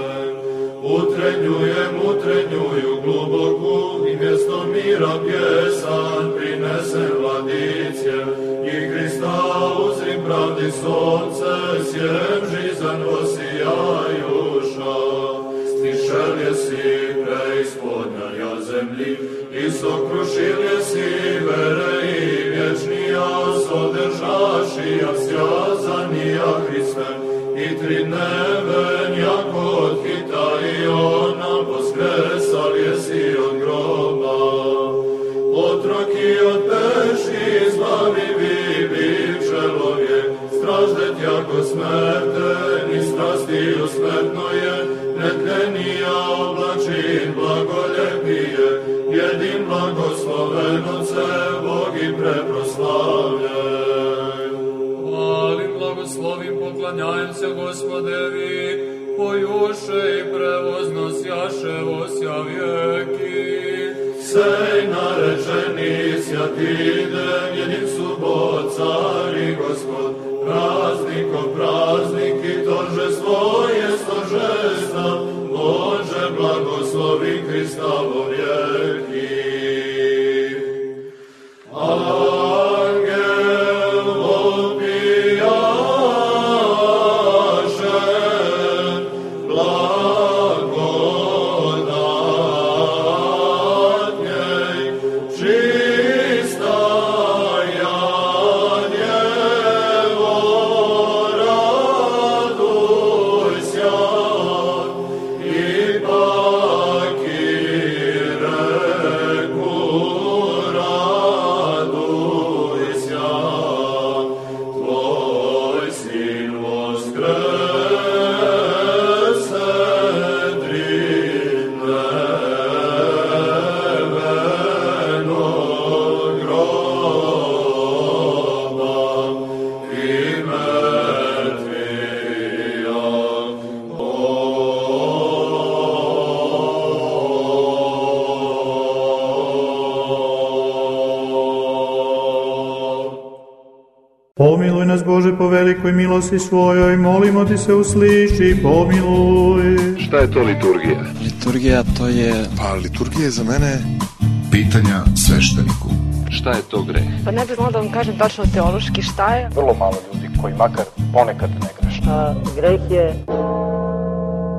Utrenjujem, utrenjuju globoku i mjesto mi mira pjesan prinese vladice, i Hrista uzri pravdi sonce, sjem žizan osijajuša. Stišel je si preispodnja zemlji, i sokrušil je si vere i vječnija, sodržašija sjazanija Hriste, i tri dneven jako od hita i ona poskresal je si od groba. Otroki od peši zbavivi biv čelovje, straždet jako smrten i strastiju smrtno je, netlenija oblačin blagoljepije, jedin blagosloven Otce, Bog i preproslavljen. Hvalim, blagoslovim, poklanjajem se Gospodevi, pojuše i prevozno sjaše osja vijeki. Sej narečeni sjatiden, jedin subot, car i Gospod, praznikom praznik i toržestvo je stožesta, Bože blagoslovi Hristovo vijeki. Angel opijaše blagodatnjej, čista ja Djevo, raduj sja, i baki reku raduj sja, tvoj sin voskrese tri dnevenog groba i mrtvija Pomiluj nas, Bože, po velikoj milosti svojoj, molimo ti se, usliši, pomiluj. Šta je to liturgija? Liturgija to je... Pa liturgija je za mene... Pitanja svešteniku. Šta je to greh? Pa ne bih znala da vam kažem tačno teološki šta je. Vrlo malo ljudi koji makar ponekad ne greše. A greh je...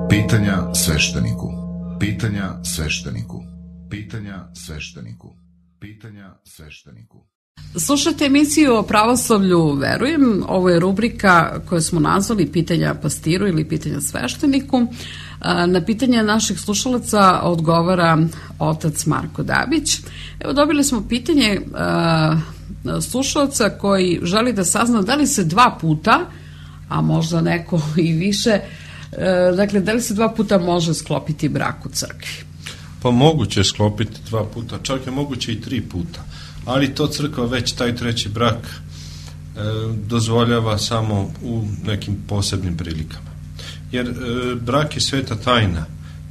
Pitanja svešteniku. Pitanja svešteniku. Pitanja svešteniku. Pitanja svešteniku. Slušajte emisiju o pravoslavlju Verujem. Ovo je rubrika koju smo nazvali Pitanja pastiru ili Pitanja svešteniku. Na pitanje naših slušalaca odgovara otac Marko Dabić. Evo, dobili smo pitanje uh, slušalca koji želi da sazna da li se dva puta, a možda neko i više, uh, dakle, da li se dva puta može sklopiti brak u crkvi? Pa moguće je sklopiti dva puta, čak je moguće i tri puta. Ali to crkva već taj treći brak e, dozvoljava samo u nekim posebnim prilikama. Jer e, brak je sveta tajna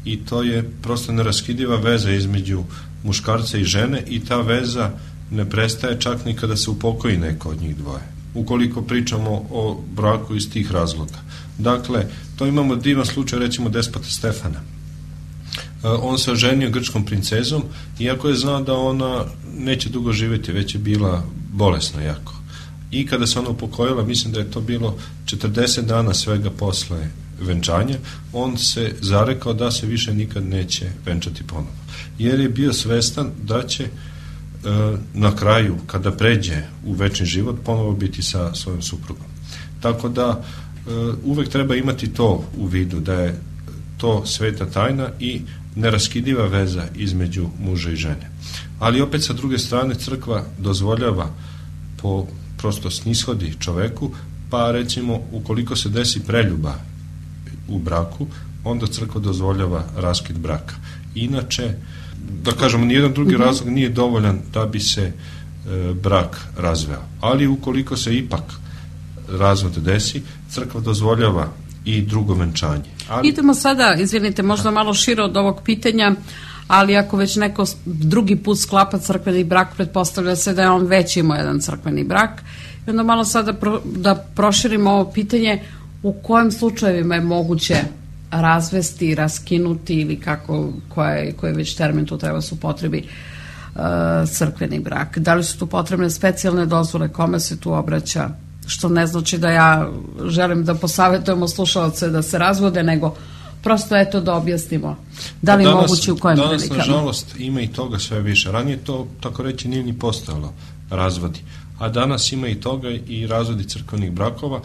i to je prosto neraskidiva veza između muškarca i žene i ta veza ne prestaje čak ni kada se upokoji neko od njih dvoje. Ukoliko pričamo o braku iz tih razloga. Dakle, to imamo divan slučaj, recimo Despota Stefana. On se oženio grčkom princezom, iako je znao da ona neće dugo živjeti, već je bila bolesna jako. I kada se ona upokojila, mislim da je to bilo četrdeset dana svega posle venčanja, on se zarekao da se više nikad neće venčati ponovo. Jer je bio svestan da će e, na kraju, kada pređe u večni život, ponovo biti sa svojom suprugom. Tako da e, uvek treba imati to u vidu, da je to sveta tajna i neraskidiva veza između muža i žene. Ali opet sa druge strane crkva dozvoljava po prosto snishodi čoveku, pa recimo ukoliko se desi preljuba u braku, onda crkva dozvoljava raskid braka. Inače, da kažemo, nijedan drugi mm-hmm. razlog nije dovoljan da bi se e, brak razveo. Ali ukoliko se ipak razvod desi, crkva dozvoljava i drugo venčanje. Ali... Idemo sada, izvinite, možda malo šire od ovog pitanja, ali ako već neko drugi put sklapa crkveni brak, pretpostavlja se da je on već imao jedan crkveni brak. I onda malo sada pro, da proširimo ovo pitanje, u kojim slučajevima je moguće razvesti, raskinuti ili kako, koji je već termin tu treba se upotrebi, crkveni brak? Da li su tu potrebne specijalne dozvole, kome se tu obraća? Što ne znači da ja želim da posavetujemo slušalce da se razvode, nego prosto eto da objasnimo da li danas, moguće u kojem danas, prilikama. Danas, nažalost, ima i toga sve više. Ranije to, tako reći, nije ni postojalo razvodi. A danas ima i toga i razvodi crkvenih brakova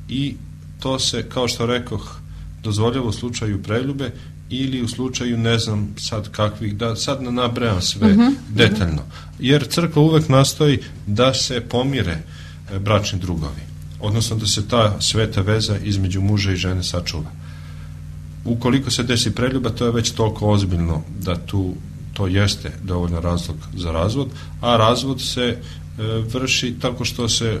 i to se, kao što rekoh, dozvoljava u slučaju preljube ili u slučaju, ne znam sad kakvih, da sad ne nabrajam sve uh-huh, detaljno. Jer crkva uvek nastoji da se pomire bračni drugovi, odnosno da se ta sveta veza između muža i žene sačuva. Ukoliko se desi preljuba, to je već toliko ozbiljno da tu to jeste dovoljno razlog za razvod, a razvod se e, vrši tako što se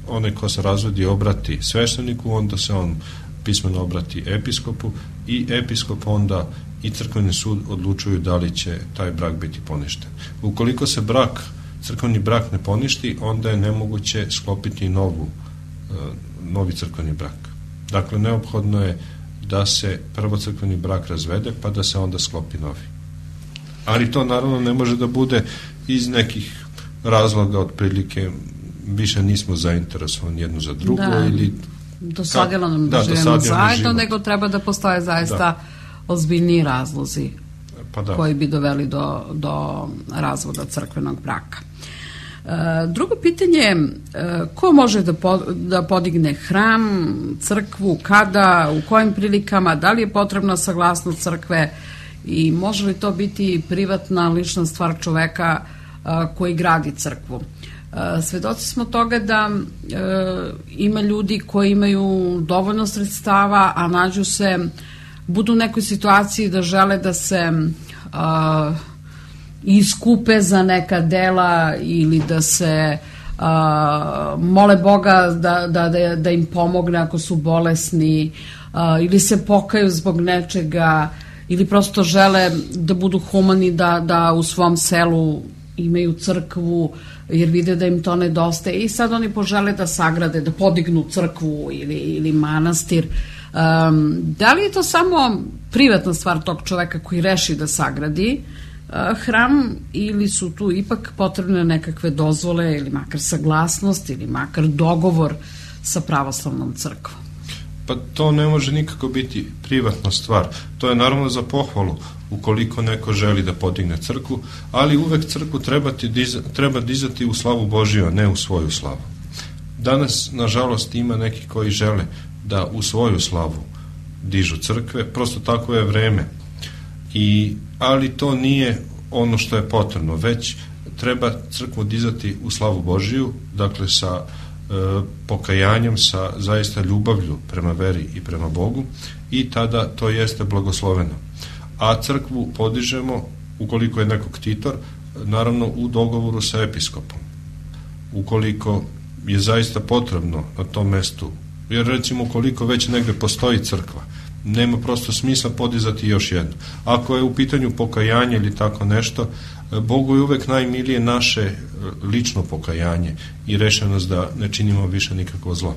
onaj ko se razvodi obrati svešteniku, onda se on pismeno obrati episkopu i episkop onda i crkveni sud odlučuju da li će taj brak biti poništen. Ukoliko se brak, crkveni brak ne poništi, onda je nemoguće sklopiti novu, e, novi crkveni brak. Dakle, neophodno je da se prvo crkveni brak razvede, pa da se onda sklopi novi. Ali to naravno ne može da bude iz nekih razloga, otprilike više nismo zainteresovani jedno za drugo, da, ili dosadilo nam da, da živimo zajedno, nego treba da postoje zaista da. ozbiljni razlozi pa da. koji bi doveli do, do razvoda crkvenog braka. E, drugo pitanje je e, ko može da, po, da podigne hram, crkvu, kada, u kojim prilikama, da li je potrebna saglasnost crkve i može li to biti privatna lična stvar čoveka a, koji gradi crkvu. A, svedoci smo toga da a, ima ljudi koji imaju dovoljno sredstava, a nađu se, budu u nekoj situaciji da žele da se a, iskupe za neka dela ili da se a, mole Boga da, da, da, da im pomogne ako su bolesni a, ili se pokaju zbog nečega ili prosto žele da budu humani, da, da u svom selu imaju crkvu jer vide da im to nedostaje i sad oni požele da sagrade, da podignu crkvu ili, ili manastir. Um, da li je to samo privatna stvar tog čoveka koji reši da sagradi uh, hram ili su tu ipak potrebne nekakve dozvole ili makar saglasnost ili makar dogovor sa pravoslavnom crkvom? Pa to ne može nikako biti privatna stvar. To je naravno za pohvalu ukoliko neko želi da podigne crkvu, ali uvek crkvu treba, diza, treba dizati u slavu Božiju, a ne u svoju slavu. Danas, nažalost, ima neki koji žele da u svoju slavu dižu crkve, prosto tako je vreme. I, ali to nije ono što je potrebno, već treba crkvu dizati u slavu Božiju, dakle sa pokajanjem, sa zaista ljubavlju prema veri i prema Bogu i tada to jeste blagosloveno. A crkvu podižemo, ukoliko je neko ktitor, naravno u dogovoru sa episkopom. Ukoliko je zaista potrebno na tom mestu, jer recimo ukoliko već negde postoji crkva, nema prosto smisla podizati još jednu. Ako je u pitanju pokajanje ili tako nešto, Bogu je uvek najmilije naše lično pokajanje i rešenost da ne činimo više nikakvo zlo.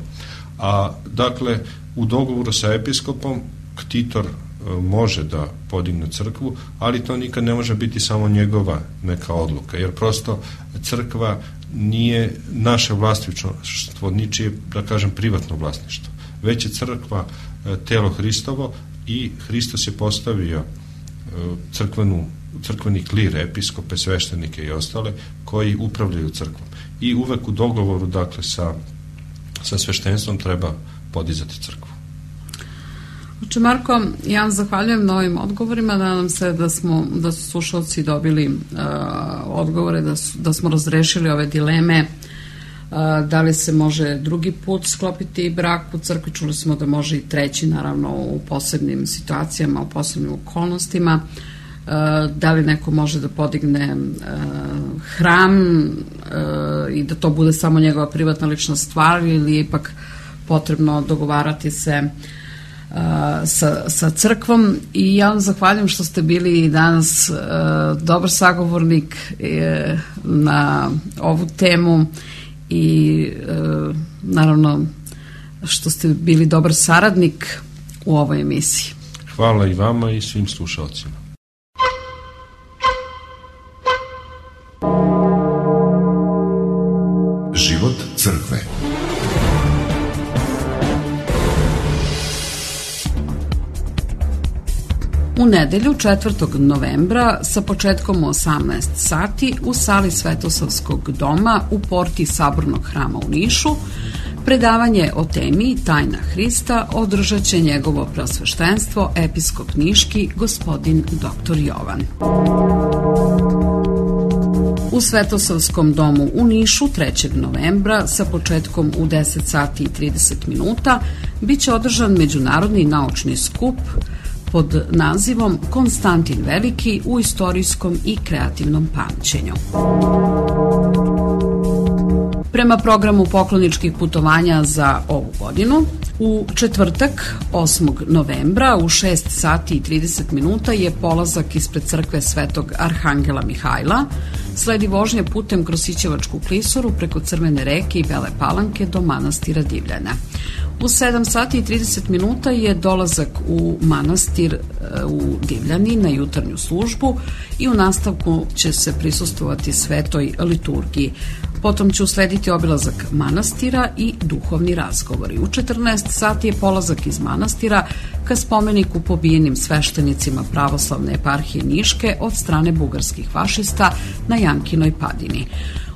A dakle, u dogovoru sa episkopom ktitor može da podigne crkvu, ali to nikad ne može biti samo njegova neka odluka, jer prosto crkva nije naše vlasništvo, ničije, da kažem, privatno vlasništvo. Već je crkva telo Hristovo i Hristos je postavio crkvenu, crkveni klir, episkope, sveštenike i ostale koji upravljaju crkvom. I uvek u dogovoru, dakle, sa, sa sveštenstvom treba podizati crkvu. Oče Marko, ja vam zahvaljujem na ovim odgovorima, nadam se da, smo, da su slušalci dobili uh, odgovore, da, su, da smo razrešili ove dileme, uh, da li se može drugi put sklopiti brak u crkvi, čuli smo da može i treći, naravno u posebnim situacijama, u posebnim okolnostima, uh, da li neko može da podigne uh, hram uh, i da to bude samo njegova privatna lična stvar ili je ipak potrebno dogovarati se Sa, sa crkvom. I ja vam zahvaljujem što ste bili danas uh, dobar sagovornik uh, na ovu temu i uh, naravno što ste bili dobar saradnik u ovoj emisiji. Hvala i vama i svim slušalcima. U nedelju četvrtog novembra sa početkom u osamnaest sati u sali Svetosavskog doma u porti Sabornog hrama u Nišu predavanje o temi Tajna Hrista održat će njegovo preosveštenstvo episkop niški gospodin doktor Jovan. U Svetosavskom domu u Nišu trećeg novembra sa početkom u deset sati i trideset minuta biće održan međunarodni naučni skup pod nazivom Konstantin Veliki u istorijskom i kreativnom pamćenju. Prema programu pokloničkih putovanja za ovu godinu, u četvrtak osmog novembra u šest sati i trideset minuta je polazak ispred crkve Svetog Arhangela Mihajla, sledi vožnja putem kroz Sićevačku klisuru preko Crvene reke i Bele Palanke do manastira Divljana. U sedam sati i trideset minuta je dolazak u manastir u Divljani na jutarnju službu i u nastavku će se prisustvovati svetoj liturgiji. Potom će uslediti obilazak manastira i duhovni razgovori. U četrnaest sati je polazak iz manastira ka spomeniku pobijenim sveštenicima pravoslavne eparhije Niške od strane bugarskih fašista na Jankinoj padini.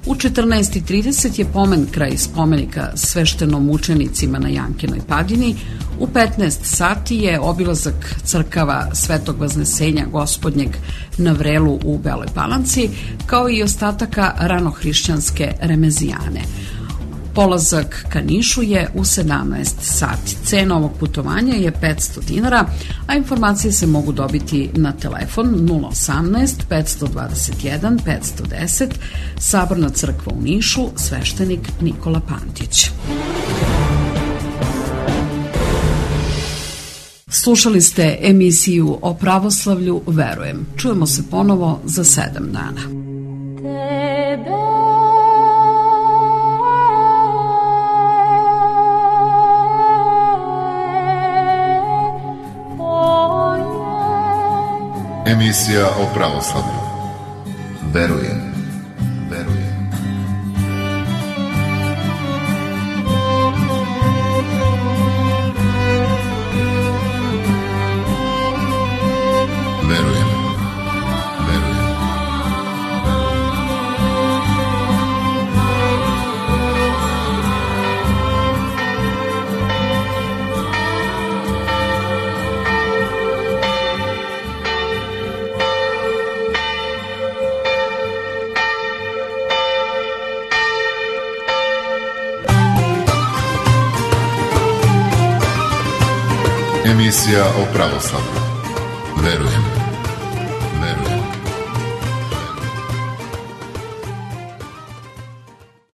U četrnaest i trideset je pomen kraj spomenika sveštenomučenicima na Jankinoj padini. U petnaest sati je obilazak crkava Svetog Vaznesenja Gospodnjeg na Vrelu u Beloj Palanci, kao i ostataka ranohrišćanske remezijane. Polazak ka Nišu je u sedamnaest sati. Cena ovog putovanja je petsto dinara, a informacije se mogu dobiti na telefon nula osamnaest petsto dvadeset jedan petsto deset, Saborna crkva u Nišu, sveštenik Nikola Pantić. Slušali ste emisiju o pravoslavlju Verujem. Čujemo se ponovo za sedam dana. Emisija o pravoslavlju. Verujem. Verujem. Verujem. Verujem. Emisija o pravoslavlju. Verujem. Verujem.